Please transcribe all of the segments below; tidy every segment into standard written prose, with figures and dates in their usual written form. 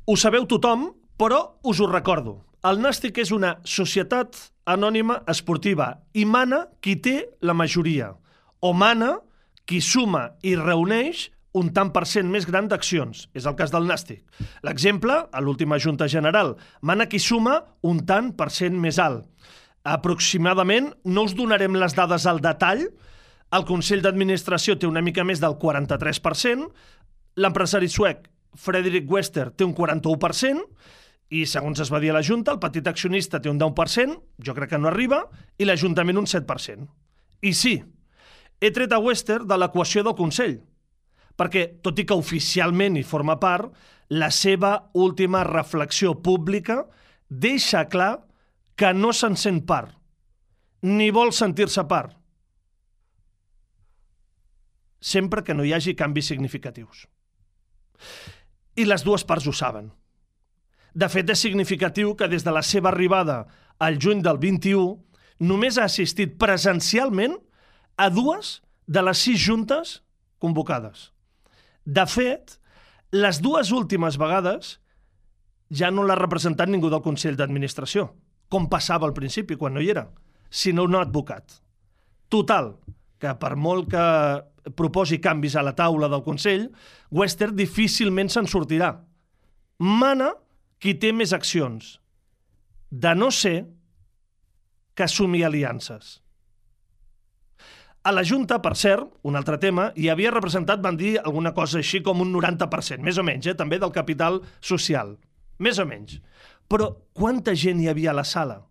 Ho sabeu tothom, però us ho recordo. El Nàstic és una societat anònima esportiva i mana qui té la majoria, o mana qui suma i reuneix un tant per cent més gran d'accions. És el cas del Nàstic. L'exemple, a l'última Junta General, mana qui suma un tant per cent més alt. Aproximadament, no us donarem les dades al detall, el Consell d'Administració té una mica més del 43%, l'empresari suec Fredrik Wester té un 41%, i segons es va dir a la Junta, el petit accionista té un 10%, jo crec que no arriba, i l'Ajuntament un 7%. I sí, he tret a Wester de l'equació del Consell, perquè, tot i que oficialment hi forma part, la seva última reflexió pública deixa clar que no se'n sent part, ni vol sentir-se part, sempre que no hi hagi canvis significatius. I les dues parts ho saben. De fet, és significatiu que des de la seva arribada al juny del 21 només ha assistit presencialment a 2 de les 6 juntes convocades. De fet, les 2 últimes vegades ja no l'ha representat ningú del Consell d'Administració, com passava al principi, quan no hi era, sinó un advocat. Total, que per molt que proposi canvis a la taula del Consell, Wester difícilment se'n sortirà. Mana qui té més accions, de no ser que assumi aliances. A la Junta, per cert, un altre tema, hi havia representat, van dir alguna cosa així com un 90%, més o menys, també del capital social. Més o menys. Però quanta gent hi havia a la sala?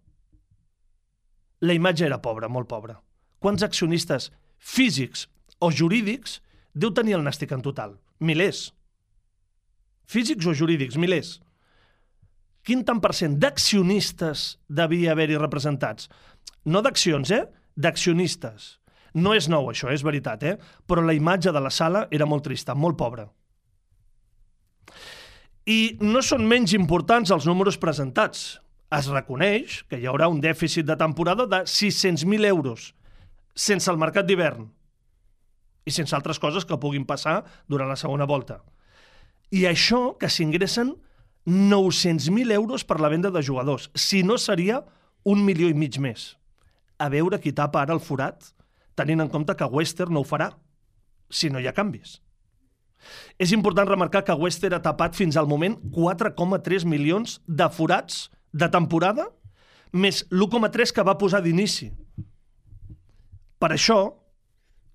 La imatge era pobra, molt pobra. Quants accionistes físics o jurídics deu tenir el Nàstic en total? Milers. Físics o jurídics, milers. Quin tant per cent d'accionistes devia haver-hi representats? No d'accions, d'accionistes. No és nou, això, és veritat, però la imatge de la sala era molt trista, molt pobra. I no són menys importants els números presentats. Es reconeix que hi haurà un dèficit de temporada de 600.000 euros, sense el mercat d'hivern i sense altres coses que puguin passar durant la segona volta. I això que s'ingressen 900.000 euros per la venda de jugadors. Si no, seria 1,5 milions més. A veure qui tapa ara el forat, tenint en compte que Wester no ho farà, si no hi ha canvis. És important remarcar que Wester ha tapat fins al moment 4,3 milions de forats de temporada, més l'1,3 que va posar d'inici. Per això,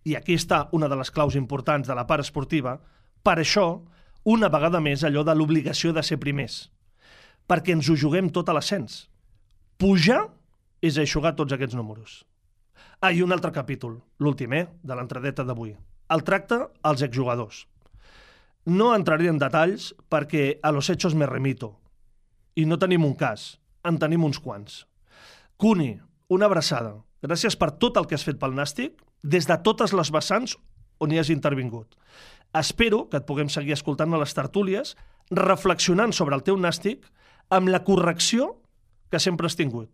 i aquí està una de les claus importants de la part esportiva, per això, una vegada més, allò de l'obligació de ser primers. Perquè ens ho juguem tot a l'ascens. Pujar és eixugar tots aquests números. I un altre capítol, l'últim, de l'entradeta d'avui. El tracte als exjugadors. No entraré en detalls perquè a los hechos me remito. I no tenim un cas, en tenim uns quants. Cuni, una abraçada. Gràcies per tot el que has fet pel Nàstic, des de totes les vessants on hi has intervingut. Espero que et puguem seguir escoltant a les tertúlies, reflexionant sobre el teu Nàstic, amb la correcció que sempre has tingut.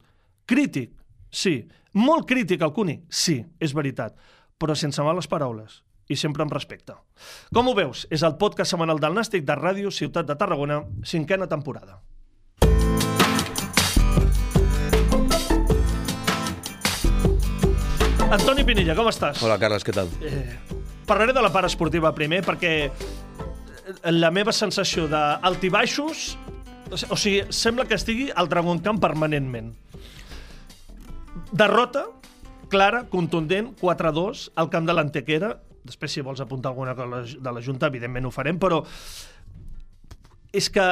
Crític, sí. Molt crític, el Cuni, sí, és veritat, però sense males paraules i sempre amb respecte. Com ho veus? És el podcast setmanal del Nàstic de Ràdio Ciutat de Tarragona, 5a temporada. Antoni Pinilla, com estàs? Hola, Carles, què tal? Parlaré de la part esportiva primer, perquè la meva sensació d'altibaixos, o sigui, sembla que estigui al Dragon Camp permanentment. Derrota clara, contundent, 4-2 al camp de l'Antequera. Després, si vols apuntar alguna cosa de la Junta, evidentment ho farem, però és que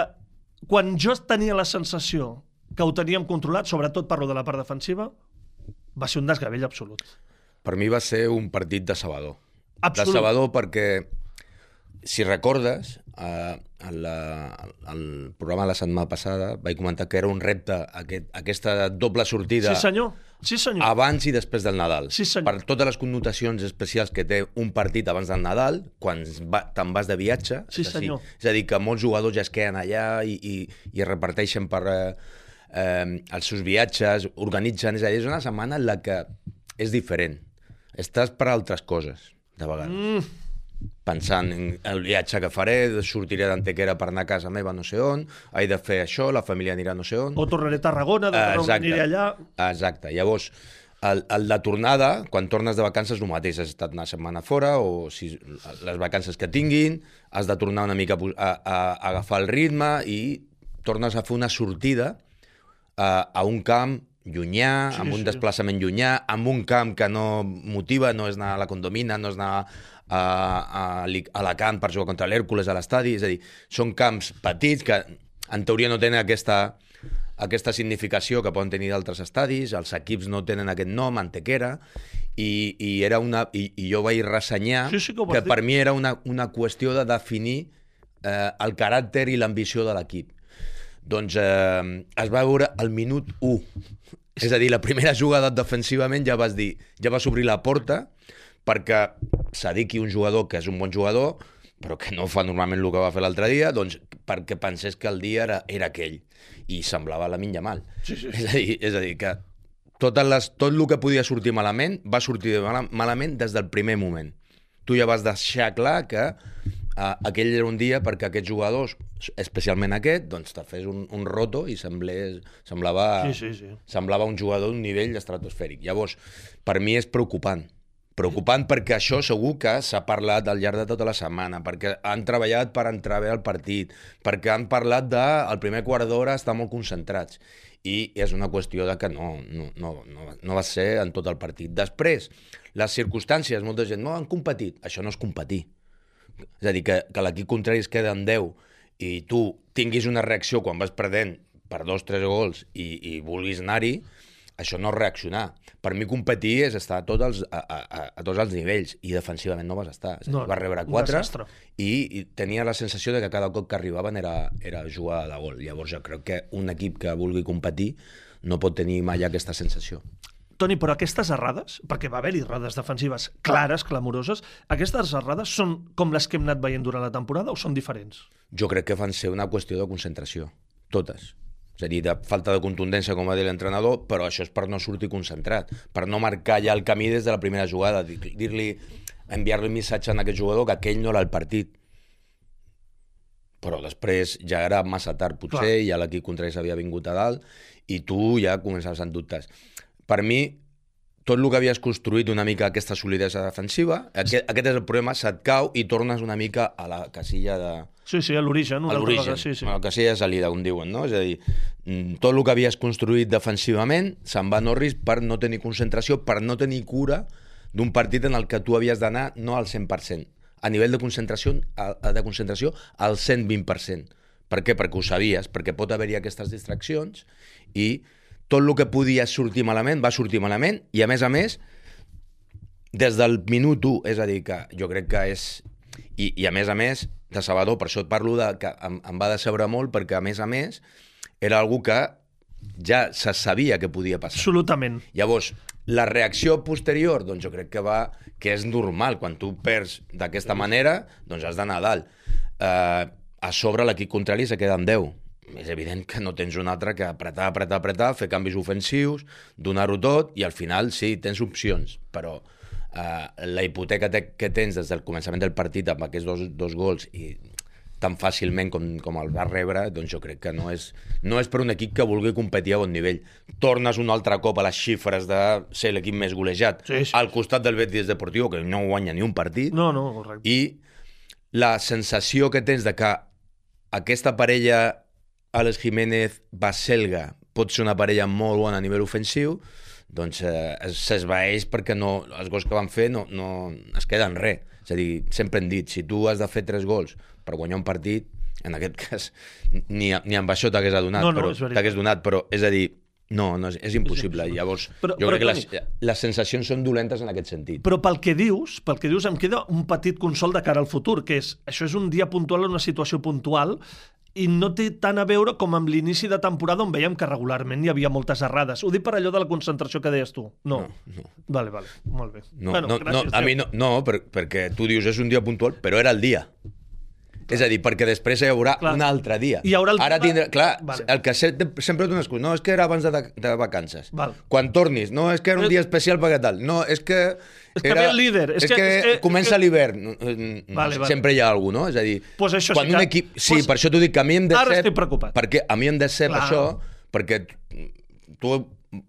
quan jo tenia la sensació que ho teníem controlat, sobretot parlo de la part defensiva, va ser un desgavell absolut. Per mi va ser un partit decebedor. Absolut. Decebedor perquè, si recordes, al programa de la setmana passada vaig comentar que era un repte aquesta doble sortida. Sí, senyor. Sí, senyor. Abans i després del Nadal. Sí, senyor. Per totes les connotacions especials que té un partit abans del Nadal, quan te'n vas de viatge. Sí, senyor. És a dir, que molts jugadors ja es queden allà i es reparteixen per els seus viatges, organitzen. És a dir, és una setmana en la que és diferent. Estàs per altres coses, de vegades. pensant en el viatge que faré, sortiré d'Antequera per anar a casa meva no sé on, he de fer això, la família anirà no sé on... O tornaré a Tarragona, aniré allà... Exacte. Llavors, el de tornada, quan tornes de vacances, el mateix, has estat una setmana fora, o si les vacances que tinguin, has de tornar una mica a agafar el ritme i tornes a fer una sortida a un camp llunyà, amb un desplaçament llunyà, amb un camp que no motiva, no és anar a la Condomina, no és anar a Alacant per jugar contra l'Hèrcules a l'estadi, és a dir, són camps petits que en teoria no tenen aquesta significació que poden tenir d'altres estadis, els equips no tenen aquest nom, Antequera, i jo vaig ressenyar que per mi era una qüestió de definir el caràcter i l'ambició de l'equip. Doncs es va veure al minut 1. És a dir, la primera jugada defensivament ja vas obrir la porta perquè s'adiqui un jugador que és un bon jugador, però que no fa normalment el que va fer l'altre dia, doncs perquè pensés que el dia era aquell. I semblava Lamine Yamal. Sí. És a dir, que tot el que podia sortir malament va sortir malament des del primer moment. Tu ja vas deixar clar que aquell era un dia perquè aquests jugadors, especialment aquest, doncs te fes un roto i semblava un jugador d'un nivell estratosfèric. Llavors, per mi és preocupant perquè això segur que s'ha parlat al llarg de tota la setmana, perquè han treballat per entrar bé al partit, perquè han parlat el primer quart d'hora estar molt concentrats, i és una qüestió de que no va ser en tot el partit. Després, les circumstàncies, molta gent, no han competit. Això no és competir. És a dir, que l'equip contrari es queda en 10 i tu tinguis una reacció quan vas perdent per 2-3 gols i vulguis anar-hi, això no és reaccionar. Per mi competir és estar a tots els nivells, i defensivament no vas estar. Vas rebre 4 i tenia la sensació de que cada cop que arribaven era jugada de gol. Llavors jo crec que un equip que vulgui competir no pot tenir mai aquesta sensació. Toni, però aquestes errades, perquè va haver-hi errades defensives clares, clamoroses, aquestes errades són com les que hem anat veient durant la temporada o són diferents? Jo crec que van ser una qüestió de concentració, totes. És a dir, de falta de contundència, com va dir l'entrenador, però això és per no sortir concentrat, per no marcar ja el camí des de la primera jugada, enviar-li un missatge a aquest jugador que aquell no era el partit. Però després ja era massa tard, potser, i ja l'equip contrari s'havia vingut a dalt, i tu ja començaves amb dubtes. Per mi, tot el que havies construït una mica aquesta solidesa defensiva, aquest és el problema, se't cau i tornes una mica a la casilla de... Sí, a l'origen. A l'origen, a la casilla de salida, com diuen, no? És a dir, tot el que havies construït defensivament se'n va a Norris per no tenir concentració, per no tenir cura d'un partit en el que tu havies d'anar no al 100%, a nivell de concentració al 120%. Per què? Perquè ho sabies, perquè pot haver-hi aquestes distraccions i tot el que podia sortir malament va sortir malament, i a més, des del minut 1, és a dir, que jo crec que és... I a més, decebedor, per això et parlo que em va decebre molt, perquè a més, era algú que ja se sabia que podia passar. Absolutament. Llavors, la reacció posterior, doncs jo crec que és normal. Quan tu perds d'aquesta manera, doncs has d'anar a dalt. A sobre l'equip contrari se queda en 10. És evident que no tens un altre que apretar, fer canvis ofensius, donar-ho tot, i al final sí, tens opcions, però la hipoteca que tens des del començament del partit amb aquests dos gols i tan fàcilment com el va rebre, doncs jo crec que no és per un equip que vulgui competir a bon nivell. Tornes un altre cop a les xifres de ser l'equip més golejat al costat del Betis Deportivo, que no guanya ni un partit. No, correcte. I la sensació que tens de que aquesta parella Àlex Jiménez, Baselga, pot ser una parella molt bona a nivell ofensiu, doncs s'esvaeix perquè els gols que van fer no es queden res. És a dir, sempre hem dit, si tu has de fer 3 gols per guanyar un partit, en aquest cas ni amb això t'hagués donat, però és a dir, no, és impossible. Llavors, jo crec que les sensacions són dolentes en aquest sentit. Però pel que dius, em queda un petit consol de cara al futur, que això és un dia puntual, una situació puntual, i no té tant a veure com amb l'inici de temporada, on veiem que regularment hi havia moltes errades. Ho dic per allò de la concentració que deies tu. No. Vale, molt bé. No, a mi no, perquè tu dius és un dia puntual, però era el dia. És a dir, perquè després hi haurà un altre dia. Hi haurà Ara tindrà... Clar, el que sempre té una excusa. No, és que era abans de vacances. Quan tornis, no, és que era un dia especial perquè tal. No, és que... És que ve el líder. És que comença l'hivern. Sempre hi ha algú, no? És a dir, quan un equip... Sí, per això t'ho dic, que a mi em decep... Ara estic preocupat. Perquè a mi em decep això, perquè tu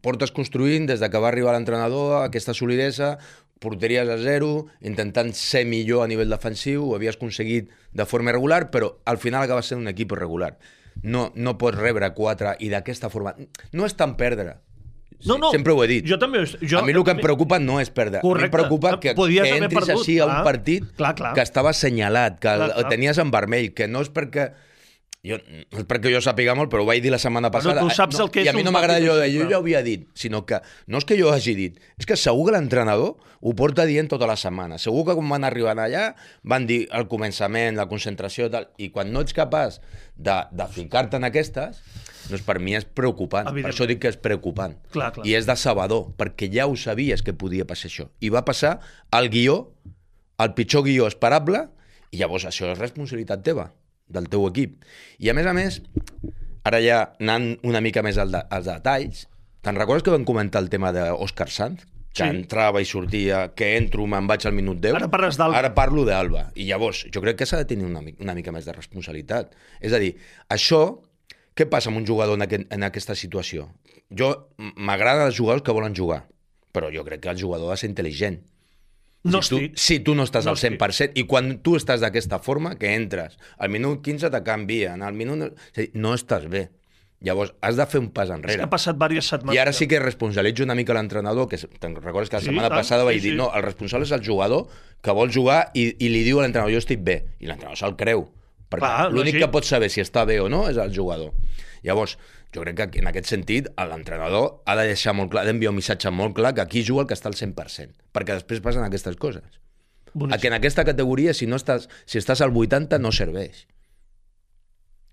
portes construint des que va arribar l'entrenador aquesta solidesa, porteries a 0, intentant ser millor a nivell defensiu, ho havies aconseguit de forma irregular, però al final acaba sent un equip irregular. No pots rebre 4 i d'aquesta forma... No és tant perdre. Sempre ho he dit. Jo també, a mi el que em preocupa no és perdre. Correcte. A mi em preocupa que entris així a un partit que estava assenyalat, que el tenies en vermell, que no és perquè... No és perquè jo sàpiga molt, però ho vaig dir la setmana passada. Tu saps el que és i a mi no m'agrada allò de... Jo ja ho havia dit, sinó que no és que jo hagi dit, és que segur que l'entrenador ho porta dient tota la setmana. Segur que quan van arribant allà van dir al començament, la concentració i tal, i quan no ets capaç de ficar-te en aquestes, doncs per mi és preocupant. Per això dic que és preocupant. Clar. I és decebedor, perquè ja ho sabies que podia passar això. I va passar al guió, el pitjor guió esperable, i llavors això és responsabilitat teva, del teu equip. I a més, ara ja anant una mica més als detalls, te'n recordes que vam comentar el tema d'Òscar Sanz? Que entrava i sortia, que entro, me'n vaig al minut 10. Ara parles d'Alba. Ara parlo d'Alba. I llavors, jo crec que s'ha de tenir una mica més de responsabilitat. És a dir, això, què passa amb un jugador en aquesta situació? M'agraden els jugadors que volen jugar, però jo crec que el jugador ha de ser intel·ligent. Si tu no estàs al 100%, i quan tu estàs d'aquesta forma, que entres, al minut 15 te canvien, al minut... No estàs bé. Llavors, has de fer un pas enrere. És que ha passat diverses setmanes. I ara sí que responsabilitzo una mica l'entrenador, que te'n recordes que la setmana passada vaig dir, no, el responsable és el jugador que vol jugar i li diu a l'entrenador, jo estic bé, i l'entrenador se'l creu. Perquè l'únic que pot saber si està bé o no és el jugador. Llavors, jo crec que en aquest sentit l'entrenador ha de deixar molt clar, ha d'enviar un missatge molt clar que aquí juga el que està al 100%, perquè després passen aquestes coses. Que en aquesta categoria, si estàs al 80, no serveix.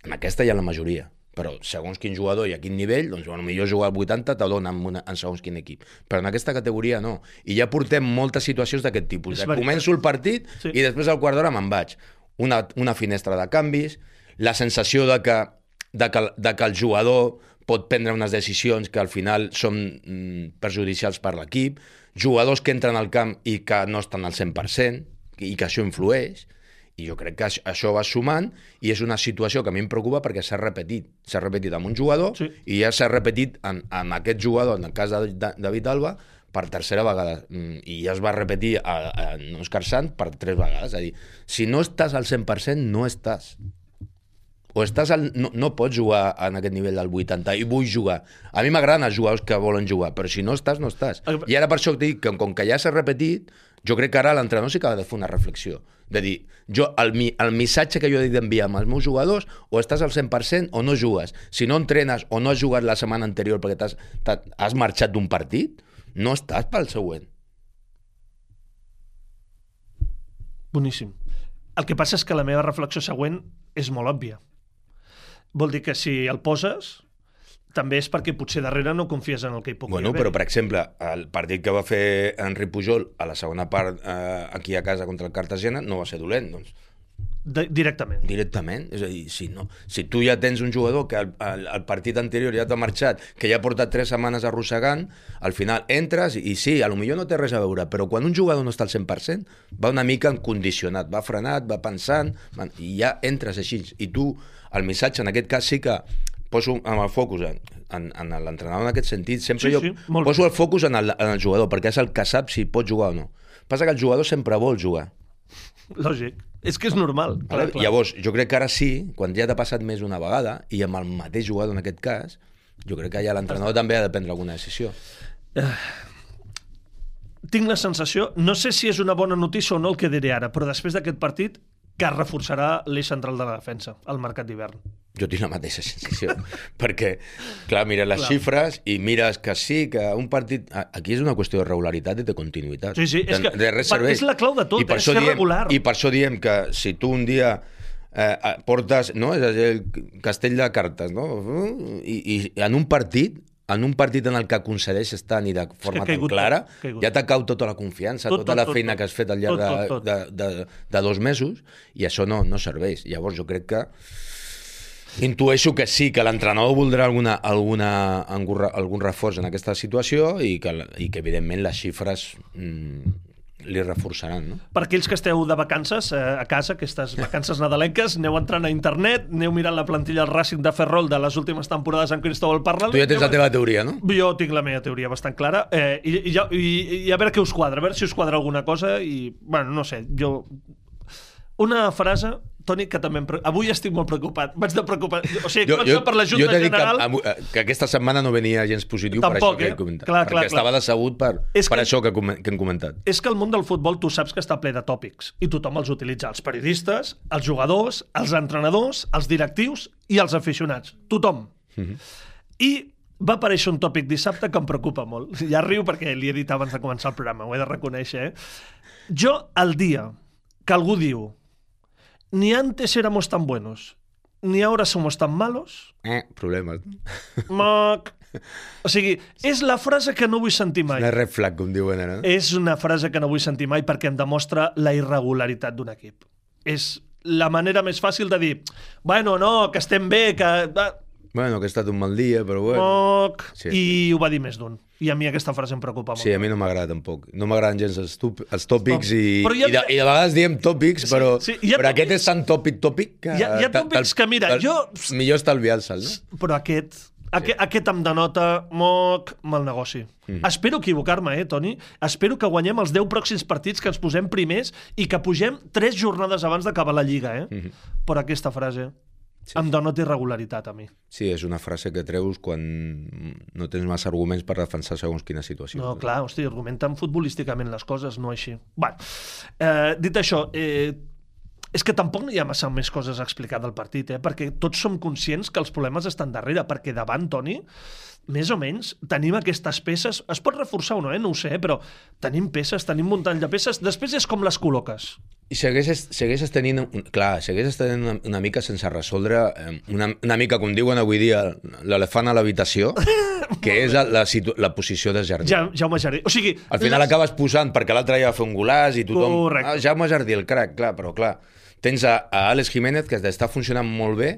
En aquesta hi ha la majoria, però segons quin jugador i a quin nivell, doncs potser jugar al 80 te dona en segons quin equip. Però en aquesta categoria no. I ja portem moltes situacions d'aquest tipus. Començo el partit i després al quart d'hora me'n vaig. Una finestra de canvis, la sensació de que el jugador pot prendre unes decisions que al final són perjudicials per l'equip, jugadors que entren al camp i que no estan al 100% i que això influeix, i jo crec que això va sumant i és una situació que a mi em preocupa perquè s'ha repetit amb un jugador i ja s'ha repetit amb aquest jugador, en el cas de David Alba, per tercera vegada, i ja es va repetir a Òscar Sanz per 3 vegades. És a dir, si no estàs al 100%, no estàs. O estàs no pots jugar en aquest nivell del 80, i vull jugar. A mi m'agraden els jugadors que volen jugar, però si no estàs, no estàs. I ara per això et dic que com que ja s'ha repetit, jo crec que ara l'entrenador sí que ha de fer una reflexió. De dir, el missatge que jo he d'enviar amb els meus jugadors, o estàs al 100% o no jugues. Si no entrenes o no has jugat la setmana anterior perquè has marxat d'un partit, no estàs pel següent. Boníssim. El que passa és que la meva reflexió següent és molt òbvia. Vol dir que si el poses, també és perquè potser darrere no confies en el que hi pugui haver. Però, per exemple, el partit que va fer Enric Pujol a la segona part aquí a casa contra el Cartagena no va ser dolent, doncs. Directament. És a dir, si tu ja tens un jugador que el partit anterior ja t'ha marxat, que ja ha portat 3 setmanes arrossegant, al final entres i sí, potser no té res a veure, però quan un jugador no està al 100%, va una mica condicionat, va frenat, va pensant, i ja entres així. I tu, el missatge en aquest cas sí que poso amb el focus en l'entrenador en aquest sentit, sempre poso el focus en el jugador, perquè és el que sap si pot jugar o no. Passa que el jugador sempre vol jugar. Lògic. És que és normal. Clar. Llavors, jo crec que ara sí, quan ja t'ha passat més una vegada, i amb el mateix jugador en aquest cas, jo crec que ja l'entrenador també ha de prendre alguna decisió. Tinc la sensació, no sé si és una bona notícia o no el que diré ara, però després d'aquest partit que reforçarà l'eix central de la defensa al mercat d'hivern. Jo tinc la mateixa sensació, perquè, clar, mires les xifres i mires que sí, que un partit... Aquí és una qüestió de regularitat i de continuïtat. Sí, és que és la clau de tot, és ser regular. I per això diem que si tu un dia portes, no? És a dir, el castell de cartes, no? I en un partit en un partit en el que aconsegueixes tant i de forma tan clara, ja t'ha cau tota la confiança, tota la feina que has fet al llarg de 2 mesos, i això no serveix. Llavors jo crec que intueixo que sí, que l'entrenador voldrà algun reforç en aquesta situació i que evidentment les xifres li reforçaran, no? Per aquells que esteu de vacances a casa, aquestes vacances nadalenques, aneu entrant a internet, aneu mirant la plantilla del Racing de Ferrol de les últimes temporades amb Cristóbal Parral. Tu ja tens la teva teoria, no? Jo tinc la meva teoria bastant clara, i a veure què us quadra, a veure si us quadra alguna cosa, i, bueno, no sé, jo... Una frase, Toni, que també avui estic molt preocupat. Vaig de preocupar... O sigui, començar per la Junta General... Que aquesta setmana no venia gens positiu. Tampoc, per això que he comentat. Perquè estava decebut per això que hem comentat. És que el món del futbol tu saps que està ple de tòpics i tothom els utilitza. Els periodistes, els jugadors, els entrenadors, els directius i els aficionats. Tothom. I va aparèixer un tòpic dissabte que em preocupa molt. Ja riu perquè li he dit abans de començar el programa, ho he de reconèixer. Jo, el dia que algú diu ni antes éramos tan buenos, ni ahora somos tan malos... Problemes. O sigui, és la frase que no vull sentir mai. Una red flag, com diuen ara. És una frase que no vull sentir mai perquè em demostra la irregularitat d'un equip. És la manera més fàcil de dir bueno, no, que estem bé, que... Bueno, que ha estat un mal dia, però bueno... Sí. I ho va dir més d'un. I a mi aquesta frase em preocupa molt. Sí, a mi no m'agrada tampoc. No m'agraden gens els tòpics i de vegades diem tòpics, però aquest és tan tòpic que... Hi ha tòpics que, mira, jo... Millor estalviar-se'l, no? Però aquest em denota mal negoci. Espero equivocar-me, Toni? Espero que guanyem els 10 pròxims partits, que ens posem primers i que pugem 3 jornades abans d'acabar la Lliga, Però aquesta frase... em denota irregularitat a mi. Sí, és una frase que treus quan no tens massa arguments per defensar segons quina situació. No, clar, hosti, argumenten futbolísticament les coses, no així. Bueno, dit això, és que tampoc hi ha massa més coses a explicar del partit, perquè tots som conscients que els problemes estan darrere, perquè davant, Toni, més o menys, tenim aquestes peces, es pot reforçar o no, no ho sé, però tenim peces, tenim muntany de peces, després és com les col·loques. I segueixes tenint, una mica sense resoldre, una mica, com diuen avui dia, l'elefant a l'habitació, que és la posició de Jardí. Jaume Jardí. O sigui, al final acabes posant, perquè l'altre ja va fer un golàs i tothom... Correcte. Jaume Jardí, el crac, clar, però clar, tens a Àlex Jiménez, que està funcionant molt bé,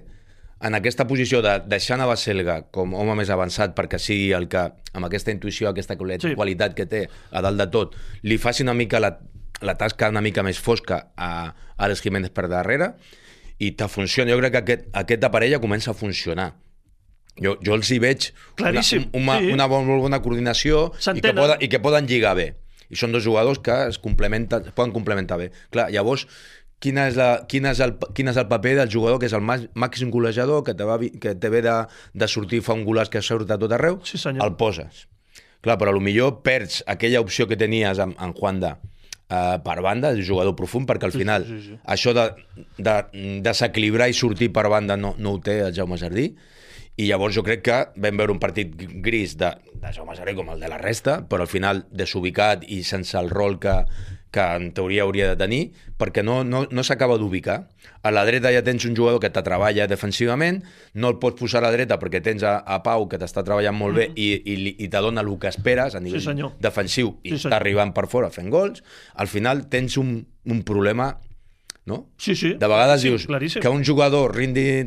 en aquesta posició de deixar a Baselga com home més avançat perquè sigui el que, amb aquesta intuïció, aquesta qualitat que té a dalt de tot, li faci una mica la tasca una mica més fosca a Àlex Jiménez per darrere i te funciona. Jo crec que aquesta parella comença a funcionar. Jo els hi veig una bona coordinació i que poden lligar bé. I són 2 jugadors que es poden complementar bé. Clar, llavors, quin és el paper del jugador que és el màxim golejador, que te ve de sortir, fa un golàs que surt a tot arreu, sí, senyor. El poses. Clar, però potser perds aquella opció que tenies amb Juanda per banda, el jugador profund, perquè al final això de desequilibrar i sortir per banda no ho té el Jaume Jardí, i llavors jo crec que vam veure un partit gris de Jaume Jardí com el de la resta, però al final desubicat i sense el rol que en teoria hauria de tenir, perquè no s'acaba d'ubicar. A la dreta ja tens un jugador que te treballa defensivament, no el pots posar a la dreta perquè tens a Pau que t'està treballant molt bé i te dona el que esperes a nivell defensiu i està arribant per fora fent gols. Al final tens un problema, no? Sí. De vegades dius claríssim. Que un jugador rendeixi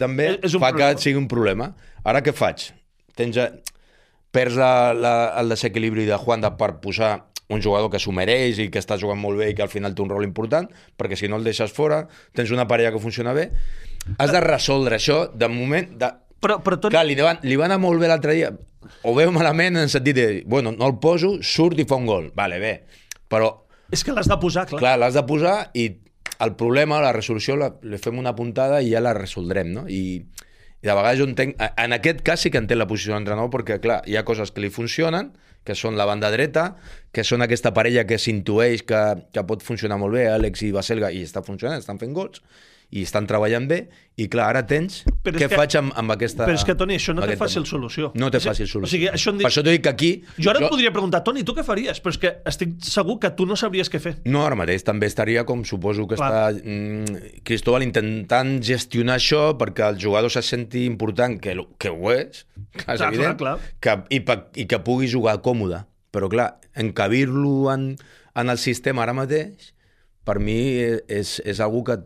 també fa que sigui un problema. Ara què faig? Perds el desequilibri de Juanda per posar un jugador que s'ho mereix i que està jugant molt bé i que al final té un rol important, perquè si no el deixes fora, tens una parella que funciona bé, has de resoldre això de moment... Però clar, li va anar molt bé l'altre dia, o bé o malament en el sentit de, bueno, no el poso, surt i fa un gol, vale, bé, però... És que l'has de posar, clar. Clar, l'has de posar i el problema, la resolució, li fem una puntada i ja la resoldrem, no? I de vegades jo entenc... En aquest cas sí que entenc la posició de l'entrenador perquè, clar, hi ha coses que li funcionen, que són la banda dreta, que són aquesta parella que s'intueix que pot funcionar molt bé, Àlex i Baselga, i està funcionant, estan fent gols, i estan treballant bé, i clar, ara tens... Què faig amb aquesta... Però és que, Toni, això no té fàcil solució. No té fàcil solució. O sigui, això per això t'ho dic que aquí... Jo ara et podria preguntar, Toni, tu què faries? Però és que estic segur que tu no sabries què fer. No, ara mateix també estaria, com suposo que està Cristóbal, intentant gestionar això perquè el jugador se senti important, que ho és, és evident, i que pugui jugar còmode. Però clar, encabir-lo en el sistema ara mateix, per mi és algú que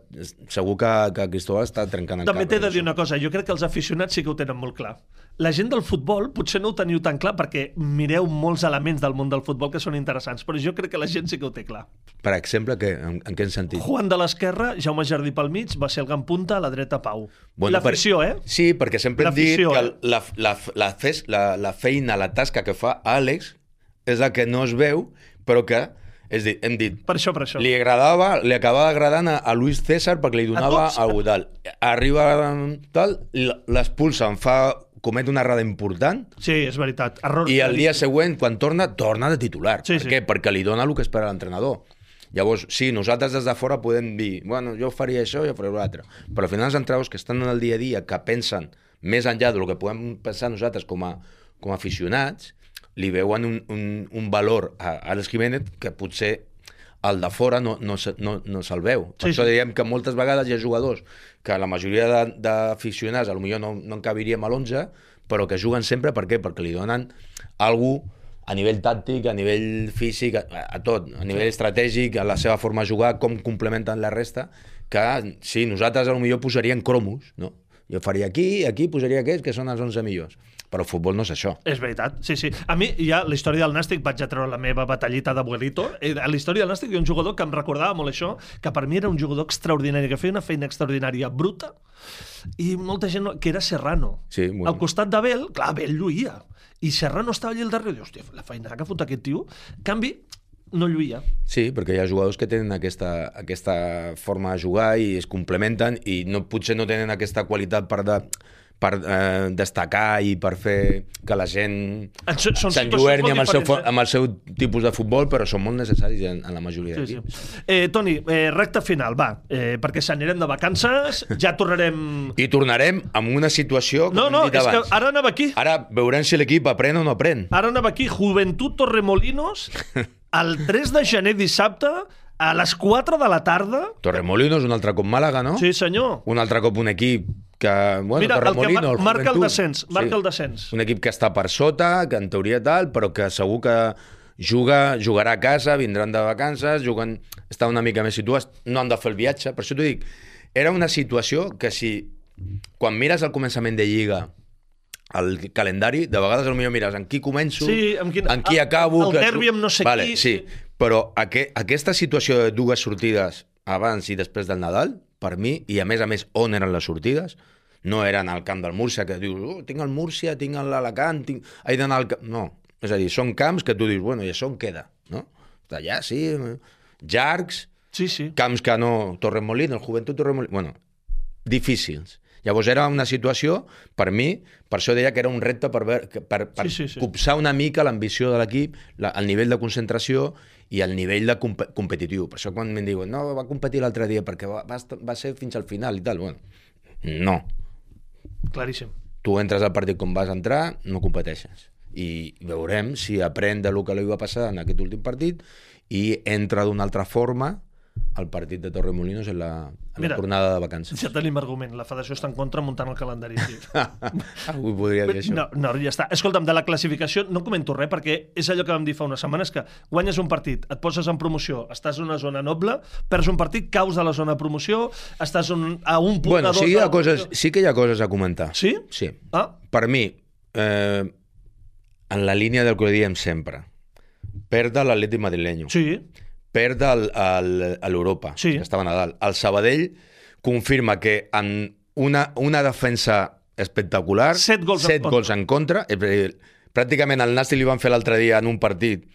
segur que Cristóbal està trencant el cap. També t'he de dir una cosa, jo crec que els aficionats sí que ho tenen molt clar. La gent del futbol potser no ho teniu tan clar perquè mireu molts elements del món del futbol que són interessants, però jo crec que la gent sí que ho té clar. Per exemple, en quin sentit? Juan de l'esquerra, Jaume Jardí pel mig, va ser el gran punta, a la dreta Pau. L'afició, Sí, perquè sempre hem dit que la feina, la tasca que fa Àlex és la que no es veu, però que hem dit, per això. li acabava agradant a Luis César perquè li donava algú tal. Arriba tal, l'expulsa, comet una errada important. Sí, és veritat. Error. I el dia següent, quan torna de titular. Per què? Perquè li dona el que espera l'entrenador. Llavors, sí, nosaltres des de fora podem dir, bueno, jo faria això, jo faria l'altre. Però al final els entrenadors que estan en el dia a dia, que pensen més enllà del que podem pensar nosaltres com a aficionats, li veuen un valor a Àlex Jiménez que potser el de fora no se'l veu. Per això diem que moltes vegades hi ha jugadors que la majoria d'aficionats potser no encabiríem a l'11, però que juguen sempre. Per què? Perquè li donen algú a nivell tàctic, a nivell físic, a tot, a nivell estratègic, a la seva forma de jugar, com complementen la resta, que sí, nosaltres potser posaríem cromos, no? Jo faria aquí posaria aquests, que són els 11 millors. Però el futbol no és això. És veritat, sí. A mi, ja, la història del Nàstic, vaig a treure la meva batallita d'abuelito. A la història del Nàstic hi ha un jugador que em recordava molt això, que per mi era un jugador extraordinari, que feia una feina extraordinària bruta, i molta gent... que era Serrano. Sí, al costat de Bel, clar, Bel lluïa. I Serrano estava allà al darrere, i hòstia, la feina que fot aquest tio. En canvi, no lluïa. Sí, perquè hi ha jugadors que tenen aquesta forma de jugar i es complementen i potser no tenen aquesta qualitat per destacar i per fer que la gent s'enlluerni amb el seu tipus de futbol, però són molt necessaris en la majoria d'equips. Toni, recta final, va, perquè s'anirem de vacances, ja tornarem... I tornarem amb una situació com hem dit abans. És que ara anava aquí. Ara veurem si l'equip aprèn o no aprèn. Ara anava aquí, Joventut Torremolinos, el 3 de gener dissabte, a les 4 de la tarda... Torremolinos, un altre cop Màlaga, no? Sí, senyor. Un altre cop un equip que... Bueno, mira, Torremolinos, el que marca el descens. El descens. Un equip que està per sota, que en teoria tal, però que segur que jugarà a casa, vindran de vacances, està una mica més situats, no han de fer el viatge. Per això t'ho dic, era una situació que si... Quan mires al començament de Lliga el calendari, de vegades potser mires en qui començo, en qui acabo... El derbi amb no sé qui... Sí, però aquesta situació de dues sortides abans i després del Nadal, per mi, i a més, on eren les sortides? No eren al camp del Múrcia, que dius, tinc el Múrcia, tinc l'Alacant, he d'anar al camp... No, és a dir, són camps que tu dius, bueno, i això on queda? No? Allà, sí, llargs, camps que no... Torremolinos, Joventut Torremolinos... Bueno, difícils. Llavors era una situació, per mi, per això deia que era un repte per copsar una mica l'ambició de l'equip, el nivell de concentració i el nivell de competitiu. Per això quan em diuen, no, va competir l'altre dia perquè va ser fins al final i tal. Bueno, no. Claríssim. Tu entres al partit com vas entrar, no competeixes. I veurem si aprèn del que li va passar en aquest últim partit i entra d'una altra forma al partit de Torremolinos en la tornada de vacances. Ja tenim argument. La federació està en contra muntant el calendari. Avui podria dir això. No, ja està. Escolta'm, de la classificació no comento res, perquè és allò que vam dir fa unes setmanes, que guanyes un partit, et poses en promoció, estàs en una zona noble, perds un partit, caus de la zona de promoció, estàs a un punt de dos... Sí que hi ha coses a comentar. Sí? Sí. Per mi, en la línia del que diem sempre, perd l'Atlètic madrileño. Sí. Perd a l'Europa, que estava a Nadal. El Sabadell confirma que en una defensa espectacular, 7 gols en contra, pràcticament el Nàstic li van fer l'altre dia en un partit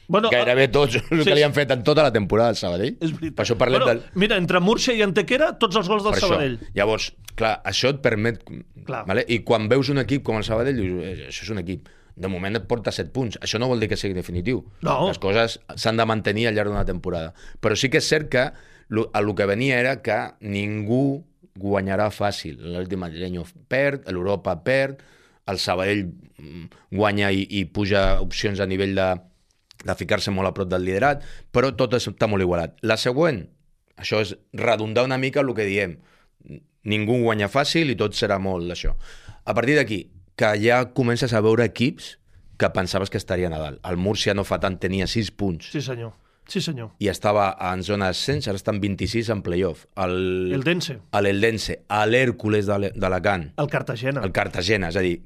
gairebé tots el que li han fet en tota la temporada al Sabadell. Per això parlem del... Mira, entre Múrcia i Antequera, tots els gols del Sabadell. Llavors, clar, això et permet... Vale? I quan veus un equip com el Sabadell, dius, això és un equip... De moment et porta 7 punts. Això no vol dir que sigui definitiu. No. Les coses s'han de mantenir al llarg d'una temporada. Però sí que és cert que El que venia era que ningú guanyarà fàcil. L'Atlètic madrileño perd, l'Europa perd, el Sabadell guanya i puja opcions a nivell de ficar-se molt a prop del liderat, però tot està molt igualat. La següent, això és redundar una mica el que diem. Ningú guanya fàcil i tot serà molt d'això. A partir d'aquí, que ja comences a veure equips que pensaves que estarien a dalt. El Múrcia no fa tant, tenia 6 punts. Sí, senyor. Sí, senyor. I estava en zona d'ascens, ara estan 26 en playoff. L'Eldense. L'Eldense, l'Hèrcules d'Alacant. El Cartagena. El Cartagena, és a dir,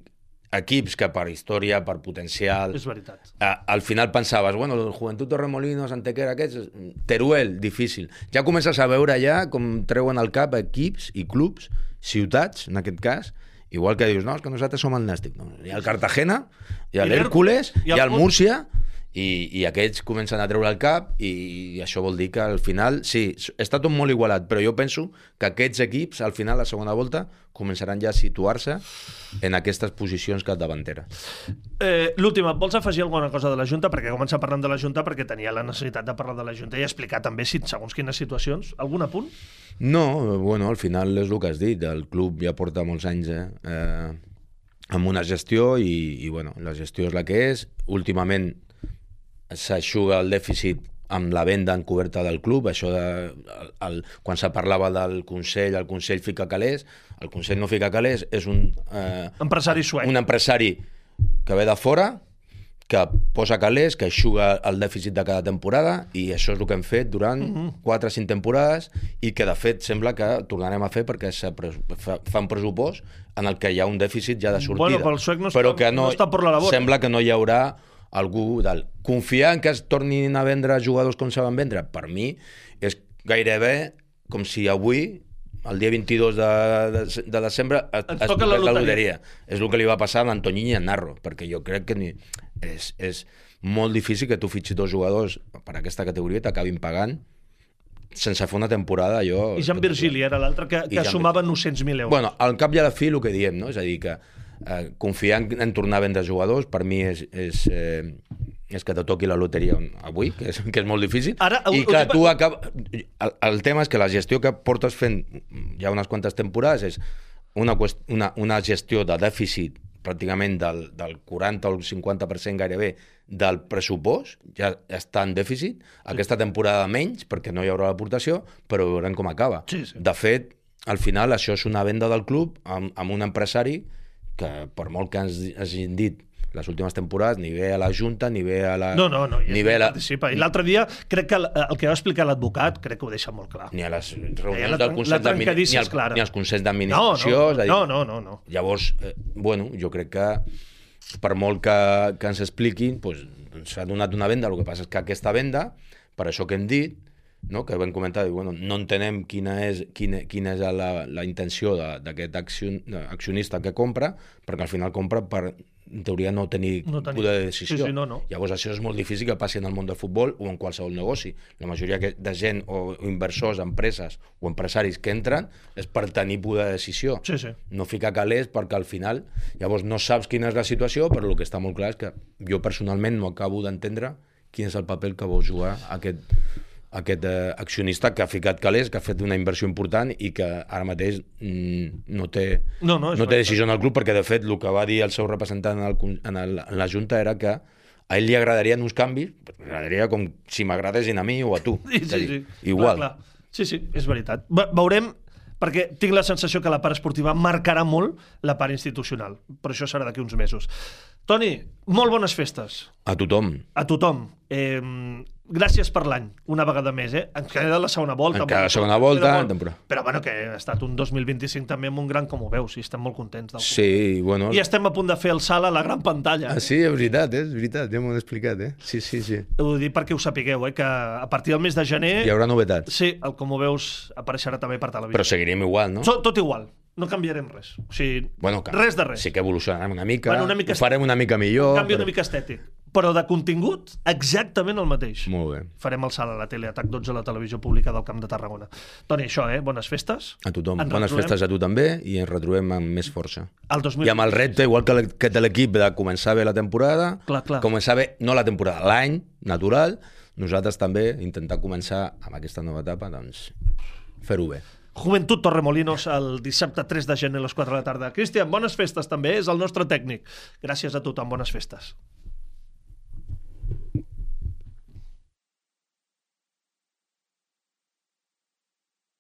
equips que per història, per potencial... És veritat. Al final pensaves, bueno, el Juventud Torremolinos, Antequera, aquests... Teruel, difícil. Ja comences a veure ja com treuen al cap equips i clubs, ciutats, en aquest cas, igual que dius, no, és que nosaltres som el Nàstic. No, hi ha el Cartagena, hi ha l'Hèrcules, hi ha el Múrcia... I aquests comencen a treure el cap i això vol dir que al final, sí, està tot molt igualat, però jo penso que aquests equips, al final, la segona volta, començaran ja a situar-se en aquestes posicions capdavanteres. L'última, vols afegir alguna cosa de la Junta? Perquè comença parlant de la Junta perquè tenia la necessitat de parlar de la Junta i explicar també segons quines situacions. Algun apunt? No, bueno, al final és el que has dit, el club ja porta molts anys amb una gestió i bueno, la gestió és la que és. Últimament s'aixuga el dèficit amb la venda encoberta del club, això quan se parlava del Consell, el Consell fica calés, el Consell no fica calés, és un empresari suec. Un empresari que ve de fora, que posa calés, que aixuga el dèficit de cada temporada, i això és el que hem fet durant 4 o 5 temporades, i que de fet sembla que tornarem a fer perquè fa un pressupost en el que hi ha un dèficit ja de sortida. Bueno, però el suec no està per la labor. Sembla que no hi haurà algú dalt. Confiar en que es tornin a vendre jugadors com saben vendre, per mi, és gairebé com si avui, el dia 22 de desembre, es toca la loteria. És el que li va passar a l'Antoñín i a Narro, perquè jo crec que és molt difícil que tu fitxis 2 jugadors per aquesta categoria i t'acabin pagant sense fer una temporada. I Jean Virgili era l'altre que sumava 900.000 euros. Bueno, al cap i a la fi el que diem, no? És a dir, que confiar en tornar a vendre jugadors per mi és que te toqui la loteria avui, que és molt difícil. I clar, el tema és que la gestió que portes fent ja unes quantes temporades és una gestió de dèficit pràcticament del 40 o el 50% gairebé del pressupost, ja està en dèficit. Aquesta temporada menys, perquè no hi haurà l'aportació, però veurem com acaba. Sí. De fet, al final això és una venda del club amb un empresari que per molt que ens hagin dit les últimes temporades, ni ve a la Junta, ni ve a la... No, participa. I l'altre dia, crec que el que va explicar l'advocat, crec que ho deixa molt clar. Ni a les reunions del Consell d'Administració, ni als Consells d'Administració. No. Llavors, bueno, jo crec que per molt que ens expliquin, s'ha donat una venda, el que passa és que aquesta venda, per això que hem dit, no, que vam comentar, bueno, no entenem quina és la intenció d'aquest accionista que compra, perquè al final compra per, en teoria, no tenir poder de decisió. Sí, no. Llavors això és molt difícil que passi en el món del futbol o en qualsevol negoci. La majoria de gent o inversors, empreses o empresaris que entren és per tenir poder de decisió. Sí. No ficar calés perquè al final llavors no saps quina és la situació, però el que està molt clar és que jo personalment no acabo d'entendre quin és el paper que vol jugar aquest accionista que ha ficat calés, que ha fet una inversió important i que ara mateix no té decisió en el club, perquè de fet el que va dir el seu representant en la Junta era que a ell li agradarien uns canvis, m'agradaria com si m'agradessin a mi o a tu. Sí. Igual. Clar. Sí, és veritat. Veurem, perquè tinc la sensació que la part esportiva marcarà molt la part institucional, però això serà d'aquí uns mesos. Toni, molt bones festes. A tothom. Gràcies per l'any, una vegada més, Ens queda la segona volta. Encara la segona volta. Però bueno, que ha estat un 2025 també amb un gran, com ho veus, i estem molt contents. Sí, bueno. I estem a punt de fer el salt a la gran pantalla. Sí, és veritat, ja m'ho he explicat, Sí. Ho dic perquè ho sapigueu, que a partir del mes de gener... Hi haurà novetats. Sí, com ho veus, apareixerà també per televisió. Però seguirem igual, no? Tot igual. No canviarem res. O sigui, res de res. Sí que evolucionarem una mica, ho farem una mica millor. Un canvi una mica estètic. però de contingut exactament el mateix. Molt bé. Farem el salt a la tele, Atac 12 a la televisió pública del Camp de Tarragona. Toni, això, bones festes. A tothom. Ens Bones retrobem festes a tu també i ens retrobem amb més força. el 2026. I amb el repte, igual que de l'equip, de començar bé la temporada, Clar. començar bé, no la temporada, l'any natural, nosaltres també intentar començar amb aquesta nova etapa, doncs, fer-ho bé. Joventut Torremolinos el dissabte 3 de gener a les 4 de la tarda. Cristian, bones festes també, és el nostre tècnic. Gràcies a tothom, bones festes.